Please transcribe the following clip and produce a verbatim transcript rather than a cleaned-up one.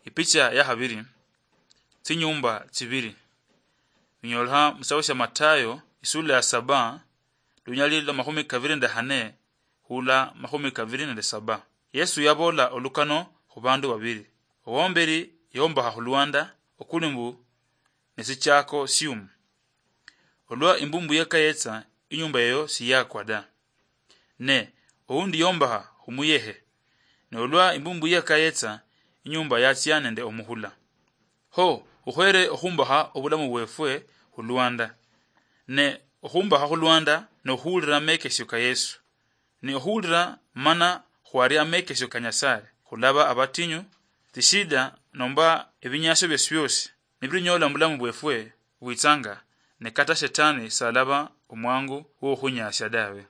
Ipicha ya habiri, tsinyumba tsibiri. Binyolekha musitabo sia Matayo, isula ya saba, lunyali lwa makhumi kabiri nende hane, hula makhumi kabiri nende saba. Yesu yabola olukano khu bandu babiri. Owomberi yombakha khulwanda, okuli mbu ne sichako siumu. Olwa imbumbu yeka yetsa, inyumba eyo siyakwa da. Ne oundi yombakha khumuyehe, ne olwa imbumbu yeka yetsa, inyumba yatsia nende omuhula. Ho, ukhwere okhumbakha obulamu bwefwe khulwanda. Ne okhumbakha khulwanda, ne okhuwulira amekesio ka Yesu. Ne okhuwulira mana khwaria amekesio ka Nyasaye, khulaba abatinyu, tsishida nomba ebinyasio biosi biosi nibirinyola mubulamu bwefwe bwitsanga, ne kata shetani salaba omwangu wokhunyasia dawe.